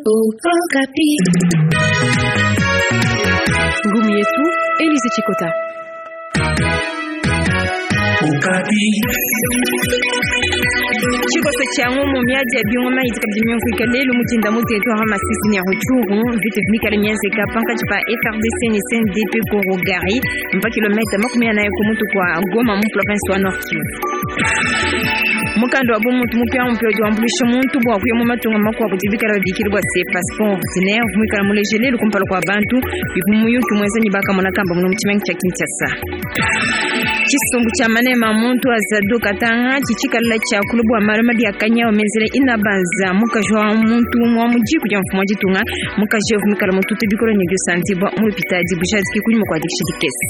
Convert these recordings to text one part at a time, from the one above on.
Okapi. Ngumu yetu Elise Chikota. Tshikoso tshia ngumu miadi ya bingoma idi kabidi miumvuika lelu mu dinda mu territoire wa Masisi ne Rutshuru. Mvita ivua mikale mienzeka pankatshi pa FARDC ne CNDP ku Rugari mpa kilometa 40 ku mutu kua Goma mu province wa Nord Kivu. Mukanda wa bumuntu mupiamupia udi wambuluisha muntu bua kuya mu matunga makuabu udi bikala babikila bua se passeport ordinaire uvua muikala muleje lelu kumpala kua bantu bivua muyuki muenza ne bakamona kamba muno mu tshimenga tshia Kinshasa. Tshisumbu tshia manema a muntu a Zado Katanga tshitshikalala tshiakula bua malu mabi a kanyawu menzela Inabanza mukaji wa muntu umue wa mu diku dia mfumu wa ditunga. Mukaji eu uvua muikala mutute bikole ne diosandibua mu lupitadi bujadiki kunyima kua dikisha dikese.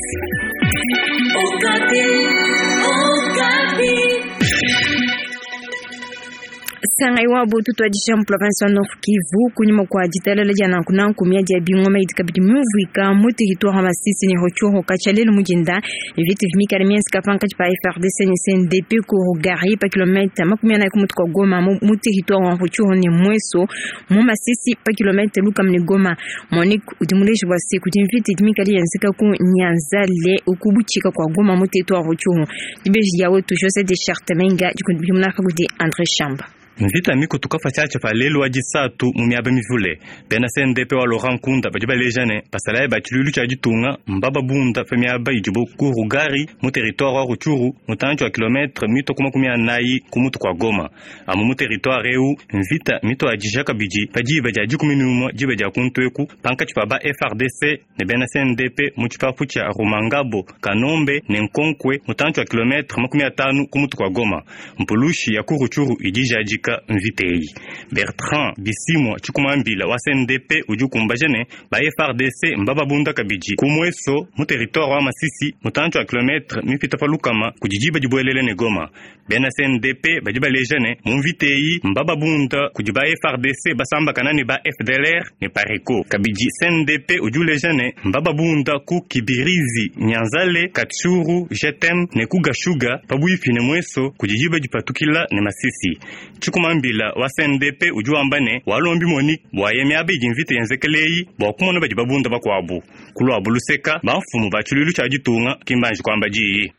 Sangayi wabu tutuadija mu province wa Nord Kivu kunyima kua ditalala dia nanku nanku miadi ya bingoma idi kabidi miumvuika mu territoire wa Masisi ne Rutshuru katshia lelu mu dinda. Mvita ivua mikale mienzeka pankatshi pa FARDC ne CNDP ku Rugari pa kilometa 40 ku mutu kua Goma mu territoire wa Rutshuru ne Mweso mu Masisi pa kilometa lukama ne Goma. Monique udi muleji bua se kudi mvita idi mikale yenzeka ku Nyanzale ku butshika kua Goma mu territoire wa Rutshuru. Dibeji dia wetu Jose de Chartamenga dikundimuna kudi Andre Shamba. Mvita mikutuka patshiatshia pa lelu wa disatu mu miaba mivule. Bena CNDP wa Laurent Nkunda badi baleja ne, basalayi ba tshiluilu tshia ditunga mbababunda pa miaba idibo ku Rugari mu territoire wa Rutshuru mutantshi wa kilometre mitue ku 40 ku mutu kua Goma. Amu mu territoire eu, mvita mituadija kabidi pa diba dia 11 diba dia kuntu eku pankatshi pa ba FARDC ne bena CNDP mu tshipapu tshia Rumangabo, Kanombe ne Nkonkwe mutantshi wa kilometre 50 ku mutu kua Goma. Mpulushi ya ku Rutshuru idi ijadika mvita eyi. Bertrand Bisimwa tshikumambila wa CNDP udi ukumbaja ne, ba FARDC mbababunda kabidi ku Mweso mu territoire wa Masisi mutantshi wa kilometre mipita pa lukama kudi diba dibuelele ne Goma. Bena CNDP badi baleja ne, mu mvita eyi mbababunda kudi ba FARDC basambakana ne ba FDLR ne Pareco. Kabidi CNDP udi uleja ne, mbababunda ku Kibirizi, Nyanzale, Katshuru, Jetem ne ku Gashuga pabuipi ne Mweso kudi diba dipatukila ne Masisi. Tshikumambila wa CNDP udi wamba ne, walombi Monique bua ye miaba idi mvita yenzekela eyi bua kumona badi babunda bakuabu. Ku luabu luseka, bamfumu ba tshiluilu tshia ditunga ki mbanji kuamba diyi.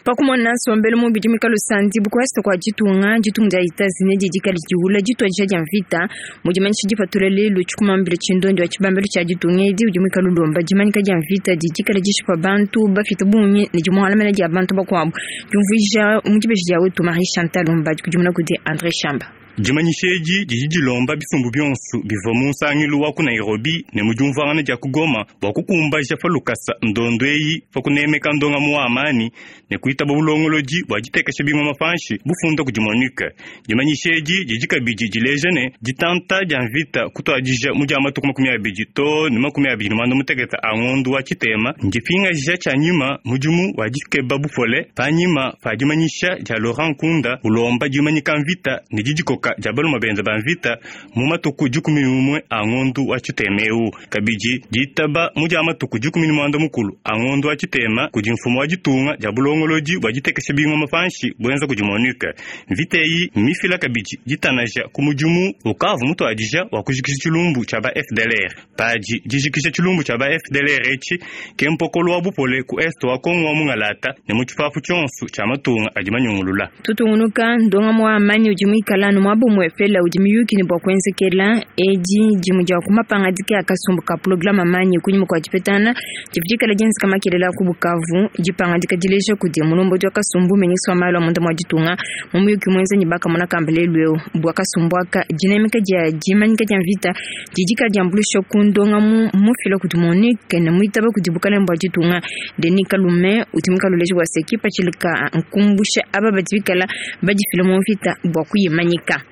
Pa kumona nsombelu mubi udi muikale usandibu ku est kua ditunga, ditunga dia Etats-Unis didi dikale diwula dituadija dia mvita mu dimanyisha dipatula lelu. Tshikumambila tshindondi wa tshibambalu tshia ditunga edi udi muikale ulomba dimanyika dia mvita didi dikale dishipa bantu bapite bungi ne dimuangalamena dia bantu bakuabu. Diumvuija mu dibeji dia wetu Marie Chantal Lumba dikudimuna kudi Andre Shamba. Dimanyisha edi didi dilomba bisumbu bionso bivua mu nsangilu wa ku Nairobi ne mu diumvuangana dia ku Goma bua kukumbaja pa lukasa ndondo eyi pa kunemeka ndongamu wa amani ne kuitaba bulongolodi bua ditekesha bingoma panshi bufunda kudi MONUC. Dimanyisha edi didi kabidi dileja ne, ditanta dia mvita kutuadija mu dia matuku 20 too ne 29 a ngondo wa tshitema ndipingaja tshia nyima mudimu wa dikeba bupole panyima pa dimanyisha dia Laurent Nkunda ulomba dimanyika mvita ne didikoka dia balume benza ba mvita mu matuku 11 a ngondo wa tshitema eu. Kabidi ditaba mu dia matuku 14 a ngondo wa tshitema kudi mfumu wa ditunga dia bulongolodi bua ditekesha bingoma panshi buenza kudi MONUC. Mvita eyi mmifila kabidi ditanaja ku mudimu ukavua mutuadija wa kujikija tshilumbu tshia ba FDLR. Padi dijikija tshilumbu tshia ba FDLR etshi ke mpokolo wa bupole ku est wa Kongo wa mungalata ne mu tshipapu tshionso tshia matunga adi manyungulula. Tutungunuka ndongamu wa amani udi muikala anu muaba umuepele udi miyuki ne bua kuenzekela. Edi dimue dia ku mapangadika a kasumbu ka programe amani kunyima kua dipetangana divua dikala dienzeka makelela ku Bukavu. Dipangadika dileja kudi mulombodi wa kasumbu ministre wa malu a munda mua ditunga mu muyuki muenza ne bakamona kamba lelu eu bua kasumbu aka dinemeka dia dimanyika dia mvita didi dikala diambuluisha ku ndongamu mufila kudi MONUC ne muitaba kudi bukalenge bua ditunga. Denis Kalume udi muikale uleja bua se kipatshila ka nkumbusha aba badi bikala badifila mu mvita bua kuyimanyika.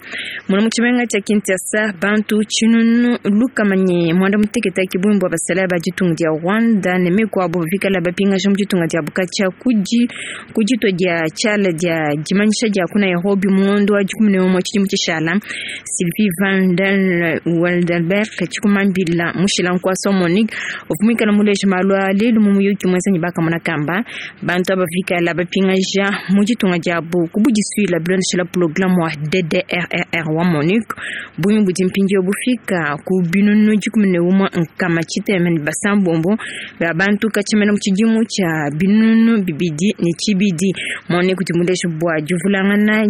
Muna mu tshimenga tshia Kinshasa bantu 631 ke bungi bua basalayi ba ditunga dia Rwanda ne mikuabu bikala bapingaja mu ditunga dia Bukatshia kudi ku ditua dia tshiala dia dimanyisha dia ku Nairobi mu ngondo wa 11 tshidimu tshishala. Sylvie van den Waldenberg tshikumambila mushila nkuasa wa MONUC uvua muikale muleja malu a lelu mu muyuki muenza ne bakamona kamba bantu aba bikala bapingaja mu ditunga diabu ku budisuila bilondeshela programe wa DDR. DDRRR wa MONUC bungi budi mpindieu bufika ku binunu 116 bia bantu katshia mu tshidimu tshia 2002. MONUC udi muleje bua divulangana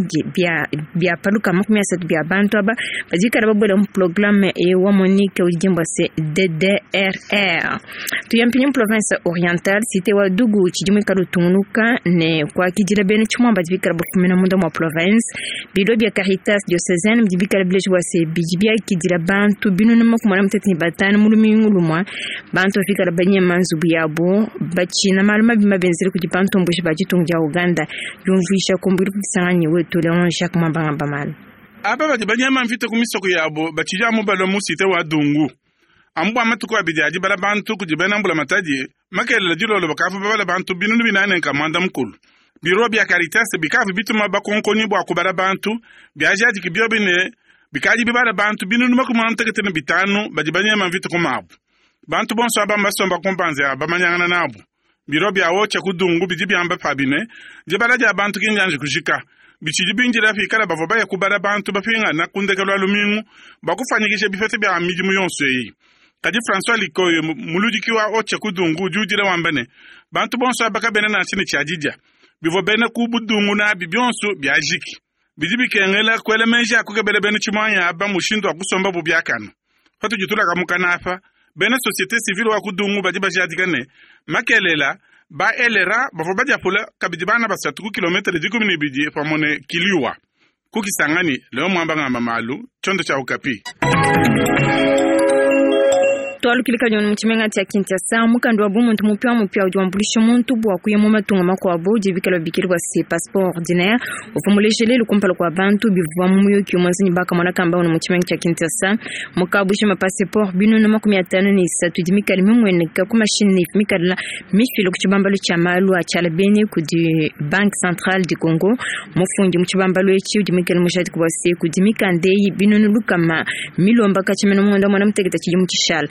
bia paluka 30 bia bantu aba badikala babuela mu programme wa MONUC udi dimbwa se DDRR. Tuyampinyi mu province orientale, cité wa Dugu tshidimu ikala utungunuka ne kuakidila bena tshimwamba bikala bafumina munda mwa province. Bilo bia Caritas diocésaine bidi bikala bileje bua se bidi biakidila bantu 485 mu lumingu lumwa. Bantu bafikala banyema nzubu yabo batshina malu mabi mabenzele kudi bantu mbuji ba ditunga dia Uganda. Yumvuisha kumbiri kubisanganyi wetu Leon Jacques Mwambangamba malu. Aba badi banyema mvita ku misoko yabo batshidi amu balua mu cité wa Dungu. Amu bua matuku abidi adi bala bantu kudi bena mbula matadi makelela dilolo bakavu babala bantu 490. Biro bia Caritas bikavu bituma bakonkoni bua kubala bantu biajadiki biobi ne bikadi bibala bantu 495 badi banyema mvita ku mabu. Bantu bonso aba mbasomba kumpanze aba bamanyangana nabu. Biro bia wocha ku Dungu bidi biamba pabi ne dibala dia bantu kinjanje kujika. Bitshidi binjila fikala bavua baya kubala bantu bapingana kundekelo lumingu bakufanyikisha bipete bia midimu yonso eyi. Kadi François Likoyo muludiki wa ocha ku Dungu udi udila wamba ne bantu bonso aba kabena nansha ne tshiadidia bivua bena ku budungu nabi bionso biajiki. Bidi bikengela kuela menji akukebela bena tshimwanya aba mushindu wa kusomba bu biakana. Patudi tulaka mukana apa bena société civile wa ku Dungu badi bajadika ne makelela ba elera bavua badiapula kabidi bana basatu ku kilometre 12 pamue ne Kiliwa. Kukisangani leo mwamba ngamba malu chondo cha Okapi. Twalukilika joni mu tshimenga tshia Kinshasa, mukanda wa bumuntu mupia mupia udi wambuluisha muntu bua kuya mu matunga makuabu dibikala bikili bua se passeport ordinaire uvua muleje lelu kumpala kua bantu bivua mu muyuki umwenzi ne bakamona kamba mu tshimenga tshia Kinshasa. Mukabusha ma passeport 553 di mikala mimueneka ku machine mikala mifila ku tshibambalu tshia malu a tshiala bene kudi Banque Centrale du Congo. Mufundi mu tshibambalu etshi udi mikala mujadiki bua se kudi mikanda eyi 100 milomba katshia munda mwana muteketa tshidimu tshishala.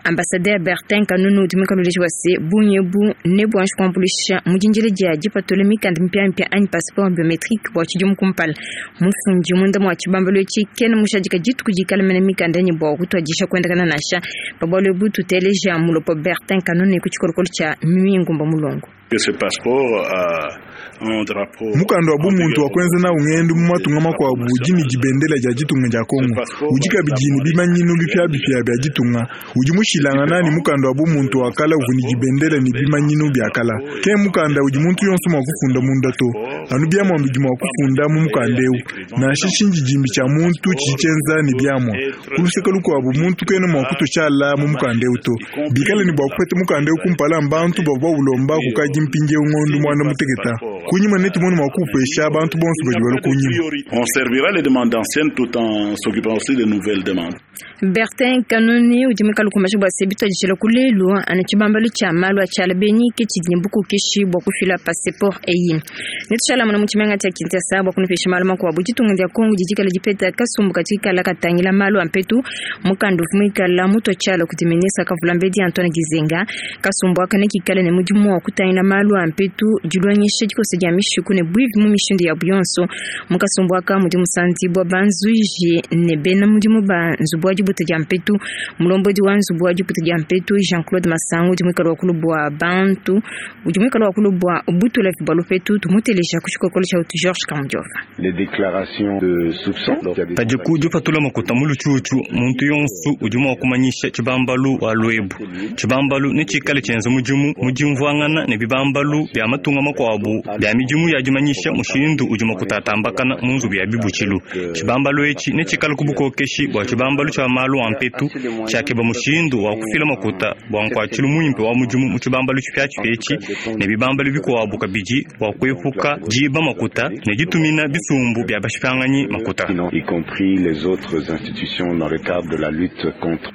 Ambassadeur Bertin Kanunu udi muikale wa se bunyebu ne bwanji kuambulisha mujinjile dia dipatula mikanda mipia mipia anyi passeport biometrique bua tshidimu kumpala. Mufundi munda mwa tshibambalu etshi kena mushadika dituku dikala mene mikanda ne bua kutuadisha kuendakana nansha pabwalo ebu tuteleja mulopo Bertin Kanunu ku tshikolokolo tshia Mimingumba Mulongo. Mukanda wa bumuntu wa kwenza na ungendu mu matunga makuabu udi ne dibendela dia ditunga dia Kongo udi kabidi ne bimanyinu bipia bipia bia ditunga udi mushilangana ne mukanda wa bumuntu wa kala uvua ne dibendela ne bimanyinu bia kala. Ke mukanda udi muntu yonso mua kufunda munda to anu biamua bidi mua kufunda mu mukanda eu nansha tshindidimbi tshia muntu tshidi tshienza ne biamua. Ku luseke lukuabu muntu kena mua kutushala mu mukanda eu to bikale ne bua kupeta mukanda eu kumpala mbantu bavua baulomba kukadi mpindieu ngondo mwana muteketa. Kunyima netu munu mua kupesha bantu bonso badi balua kunyima. On servira les demandes anciennes tout en s'occupant aussi des nouvelles demandes. Bertin Kanuni udi muikale kumbasha bua se bituadijila ku lelu anu tshibambalu tshia malu a tshiala beni ke tshidi ne bukokeshi bua kufila passeport eyi. Netushala muna mu tshimenga tshia Kinshasa bua kunupesha malu makuabu. Ditunga dia Kongo didikala dipeta kasumbu katikala katangila malu a mpetu mukanda uvua muikala mutua tshiala kudi ministre Kavulambedi Antoine Gizenga. Kasumbu aka nekikale ne mudimu wa kutangila malu a mpetu dilongesha dikosa dia mishiku ne buivi mu mishindu ya buyonso. Mukasumbu aka mudi musanzibwa banzuji ne bena mudimu ba nzubu wa dibuta dia mpetu. Mulombodi wa nzubu wa dibuta dia mpetu Jean-Claude Masangu udi muikale wa kulubwa bantu udi muikale wa kulubwa butula bwa lupetu tumuteleja ku tshikokolo tshia utu Georges Kamujova. Les déclarations de soupçon. Padiku dipatula makuta mu lutshutshu muntu yonso udi mua kumanyisha tshibambalu wa lwebu. Tshibambalu ne tshikale tshienza mudimu mu dimvuangana ne bibambalu bia matunga makuabu bia midimu ya dimanyisha mushindu udi makutatambakana mu nzubu ya bibutshilu. Tshibambalu etshi ne tshikale ku bukokeshi bua tshibambalu tshia malu a mpetu tshiakeba mushindu wa kufila makuta bua nkuatshilu muimpe wa mudimu mu tshibambalu tshipiatshipia etshi ne bibambalu bikuabu kabidi bua kuepuka diba makuta ne ditumina bisumbu bia bashipanganyi makuta. Y compris les autres institutions dans le cadre de la lutte contre.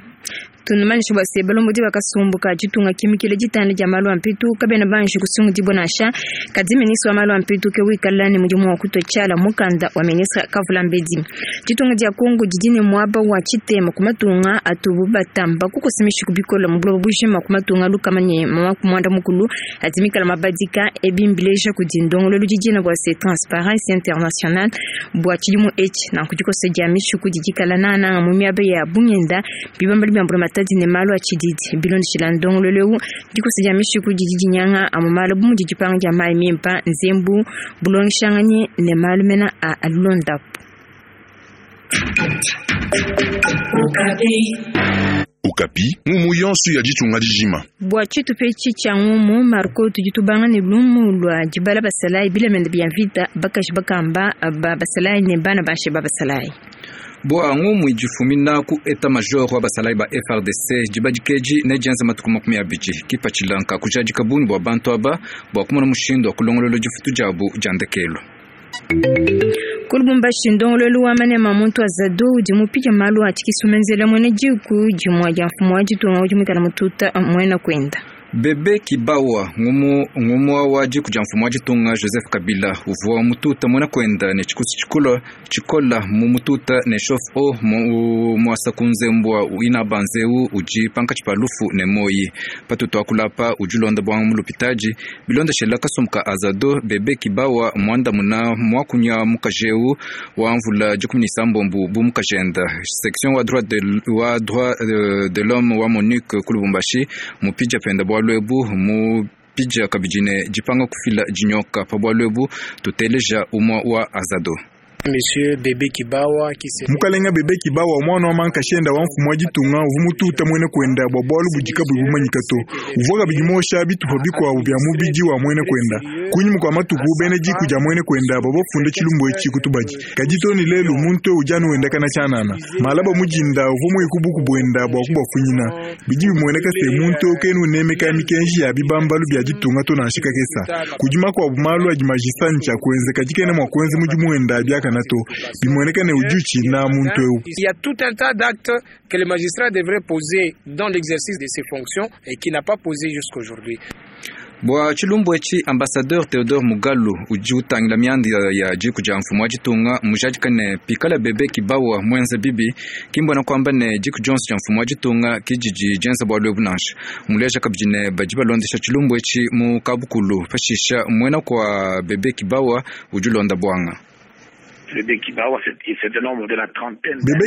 Tunumanyisha bua se balombodi bakasumbu ka ditunga kimikile ditanda dia malu a mpitu kabena banji kusungudibua nansha. Kadi ministre wa malu a mpitu ke wikala ne mudimu wa kutua tshiala mukanda wa ministre Kavulambedi. Ditunga dia Kongo didi ne muaba wa tshitema ku matunga atubu batamba kukosa mishiku bikole mu buloba bujima ku matunga lukama ne muanda mukulu adi mikala mabadika ebi mbileja kudi ndongoluelu didina bua se Transparency International bua tshidimu etshi. Nanku dikosa dia mishiku didi dikala nananga mu miaba ya bungenda bibambelu bia mbulamatadi ne malu a tshididi. Bilondeshila ndongoluelu eu, dikosa dia mishiku didi dinyanga amu malu bu mudi dipanga dia mayi mimpa, nzembu, bulongeshanganyi ne malu mena a alulondapu. Okapi, ngumu yonso ya ditunga dijima. Bua tshitupa etshi tshia ngumu, Marco tudi tubanga ne lumu lua dibala basalayi bilamende bia mvita bakaji bakamba ba basalayi ne bana bashe ba basalayi. Bua ngumu idifumina ku état major wa basalayi ba FARDC dibadikeji ne dienza matuku 20 kipatshila kujadika bungi bua bantu aba bua kumona mushindu wa kulongolola difutu diabu dia ndekelu. Ku Lubumbashi ndongoluelu wa manema muntu azado udi mupika malu a tshikisumenzela mwene diku dimue dia mfumu wa ditunga udi muikala mututa mwena kwenda. Bebe Kibawa ngumu wa diku dia mfumu wa ditunga Joseph Kabila uvua mututa mwena kwenda ne tshikusu tshikola tshikola mu mututa ne shof o muasa kunzembwa ina banzeu udi pankatshi pa lufu ne moyi patutu akulapa udi ulonda bwanga mu lupitaji bilonda shela kasumbuka azado Bebe Kibawa mwanda muna mwakunya mukajeu wa mvula 16 bu mukajenda section wa droit de l'homme wa MONUC ku Lubumbashi mupija penda bwa mu pija kabijine jipanga kufila jinyoka pa bwalwebu tuteleja umwa wa azado. Monsieur Bebe Kibawa qui se Mukalenga Bebe Kibawa mwana wa mankashenda wa mfumu wa ditunga uvu mututa mwene kwenda bwa bwalu budika bumanyika to uvuga bijimosha bitupa bikwabu bya mubiji wa mwene kwenda kunyuma kwa matuku bene jiku ja mwene kwenda babo funde chilumbo echi kutubaji kajitoni lelu muntu ujanu wenda kana chanana malaba mujinda uvu mwikubuku bwenda bwa kubafunyina biji bimweneka se muntu kenu nemeka mikenji ya bibambalu bya ditunga to nanshika kesa kujima kwa bumalu ajimajisancha kwenze kajikene mwa kwenze muji mwenda byaka nato bimweneka ne ujuchi na muntu eu. Il y a tout un tas d'actes que le magistrat devrait poser dans l'exercice de ses fonctions et qui n'a pas posé jusqu'aujourd'hui. Bwa chilumbu echi ambassadeur Theodore Mugalu udi utangila mianda ya jiku ja mfumu wa ditunga mujadika ne pikala Bebe Kibawa mwenza bibi kimbona kwamba ne jiku Johnson ja mfumu wa ditunga kijiji jenza bwa lwebu nansha muleja kabidi ne badi balondesha chilumbu echi mu kabukulu pashisha mwena kwa Bebe Kibawa udi ulonda bwanga. Bebe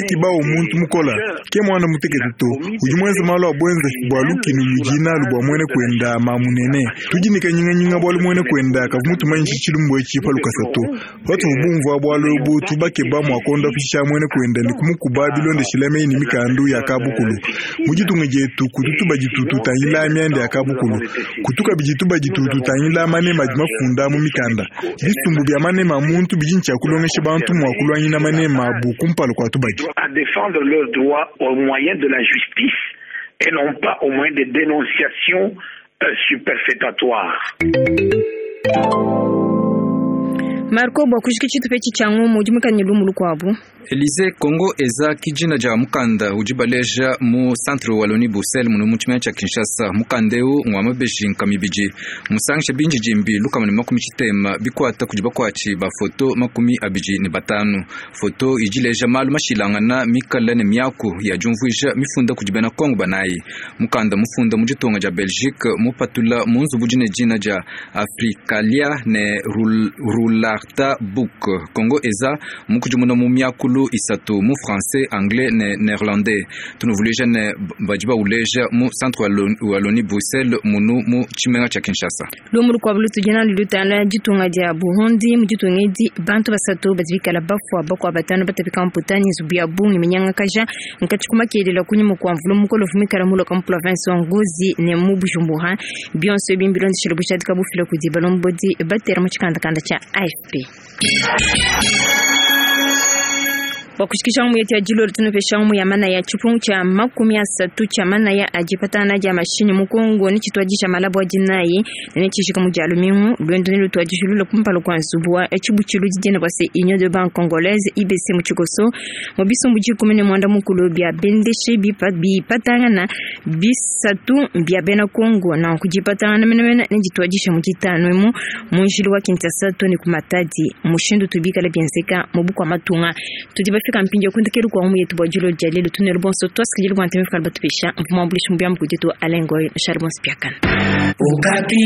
Kibawa muntu mukola ke mwana mutekete to udi mwenza malu a bwenza bwa lukinu ludi nalu bwa mwene kwenda mamunene tujinika nyinganyinga bwalu mwene kwenda kavu mutumanyishi chilumbu echi pa lukasa to watu bumva bwalu bu tubakeba mwakonda pisha mwene kwenda ni kumukuba bilondeshela meyi ni mikandu ya kabukulu mujitunga jetu kututuba jitutu tangila myanda ya kabukulu kutuka bijituba jitutu tangila manema jimafunda mu mikanda bisumbu bya manema muntu bijincha kulongesha bantu mwakulwanyina manema bu kumpalo kwa tubaki. À défendre leurs droits au moyen de la justice et non pas au moyen des dénonciations superfétatoires. Marco bwa kushika tshitupa etshi tshia ngumu udi mukanye lumu lukuabu. Elise Congo eza kijina ja mukanda udi baleja mu centre Wallonie Bruxelles muno mu tshimene tshia Kinshasa mukanda eu ngwa mabeji nkamibidi musangisha binji jimbi lukama ne 80 bikwata kudi bakwatshi ba foto 25 foto idileja malu mashilangana mikala ne miaku ya jumvuija mifunda kudi bena Congo banayi mukanda mufunda mu ditunga dia Belgique mupatula mu nzubu dine dina dia Africalia ne Rularta Book Congo eza mukudimuna mu miakulu isatu mu français, anglais ne néerlandais tunuvuleja ne badi bauleja mu centre Wallonie Bruxelles munu mu tshimenga tshia Kinshasa. Lumu lukuabu lutudi nalu lutala ditunga dia Burundi mu ditunga edi bantu basatu badi bikala bafua bakua batanu batapika mputani nzubu ya bungi minyanga kaja nkatshi kumakelela kunyima kua mvula mukolo vumikala muloka mu province wa Ngozi ne mu Bujumbura bionso ebi mbilondeshela bushadika bufila kudi balombodi batera mu tshikandakanda tshia AFP. Bua kushikisha ngumu yetu ya dilolo tunupesha ngumu ya manaya tshipungu tshia 30 tshia manaya a dipatana dia mashinyi mu Kongo ne tshituadisha malabu a dinayi ne tshishika mu dia lumingu luendu ne lutuadishilula kumpala kua nzubu wa tshibutshilu didiena bua se Union de Banque Congolaise IBC mu tshikoso mu bisumbu 19 bia bendeshi bipatangana bisatu bia bena Kongo na kudipatangana menemene ne dituadisha mu ditanu emu mu njila wa Kinshasa to ne ku Matadi mushindu tubikala bienzeka mu bukua matunga. Tudi bafika mpindieu kundekelu kua ngumu yetu bua dilolo dia lelu tunelu bonso tuasikidile bua ntema fikala batupesha mvuma mbulishi mubiambu kuditu Alain Goy Charles Bonspiakana. Okapi.